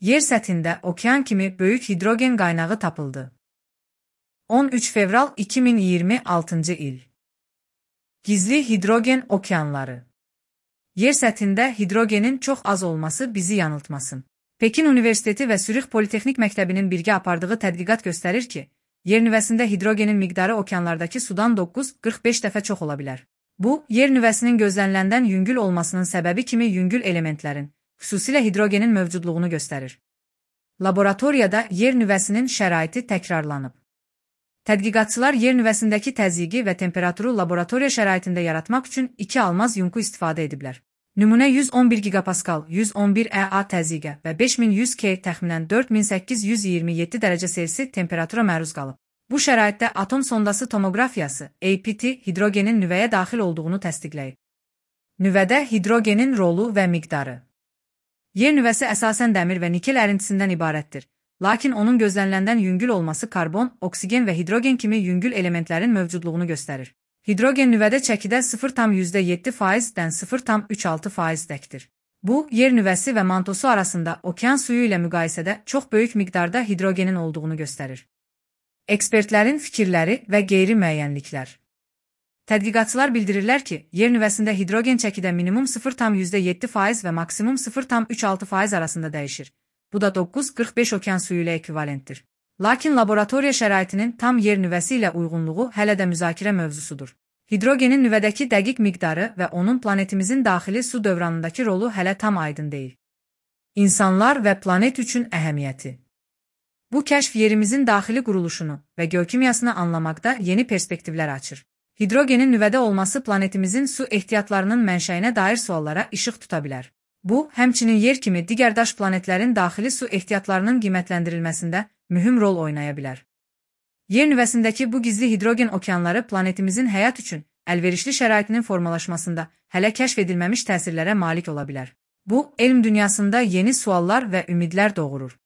Yer səthində okean kimi böyük hidrogen qaynağı tapıldı. 13 fevral 2026 il. Gizli hidrogen okeanları. Yer səthində hidrogenin çox az olması bizi yanıltmasın. Pekin Universiteti və Sürix Politexnik Məktəbinin birgə apardığı tədqiqat göstərir ki, yer nüvəsində hidrogenin miqdarı okeanlardakı sudan 9-45 dəfə çox ola bilər. Bu, yer nüvəsinin gözləniləndən yüngül olmasının səbəbi kimi yüngül elementlərin, xüsusilə hidrogenin mövcudluğunu göstərir. Laboratoriyada yer nüvəsinin şəraiti təkrarlanıb. Tədqiqatçılar yer nüvəsindəki təzyiqi və temperaturu laboratoriya şəraitində yaratmaq üçün 2 almaz yunku istifadə ediblər. Nümunə 111 gigapaskal, 111 EA təzyiqə və 5100 K təxminən 4827 dərəcə Selsi temperatura məruz qalıb. Bu şəraitdə atom sondası tomoqrafiyası, APT, hidrogenin nüvəyə daxil olduğunu təsdiqləyib. Nüvədə hidrogenin rolu və miqdarı. Yer nüvəsi əsasən dəmir və nikel ərintisindən ibarətdir. Lakin onun gözləniləndən yüngül olması karbon, oksigen və hidrogen kimi yüngül elementlərin mövcudluğunu göstərir. Hidrogen nüvədə çəkidə 0,7%-dən 0,36%-dəkdir. Bu, yer nüvəsi və mantosu arasında okean suyu ilə müqayisədə çox böyük miqdarda hidrogenin olduğunu göstərir. Ekspertlərin fikirləri və qeyri-müəyyənliklər. Tədqiqatçılar bildirirlər ki, yer nüvəsində hidrogen çəkidə minimum 0,7% və maksimum 0,36% arasında dəyişir. Bu da 9-45 okean suyu ilə ekvivalentdir. Lakin laboratoriya şəraitinin tam yer nüvəsi ilə uyğunluğu hələ də müzakirə mövzusudur. Hidrogenin nüvədəki dəqiq miqdarı və onun planetimizin daxili su dövranındakı rolu hələ tam aydın deyil. İnsanlar və planet üçün əhəmiyyəti. Bu kəşf yerimizin daxili quruluşunu və geokimyasını anlamaqda yeni perspektivlər açır. Hidrogenin nüvədə olması planetimizin su ehtiyatlarının mənşəyinə dair suallara işıq tuta bilər. Bu, həmçinin yer kimi digər daş planetlərin daxili su ehtiyatlarının qiymətləndirilməsində mühüm rol oynaya bilər. Yer nüvəsindəki bu gizli hidrogen okeanları planetimizin həyat üçün əlverişli şəraitinin formalaşmasında hələ kəşf edilməmiş təsirlərə malik ola bilər. Bu, elm dünyasında yeni suallar və ümidlər doğurur.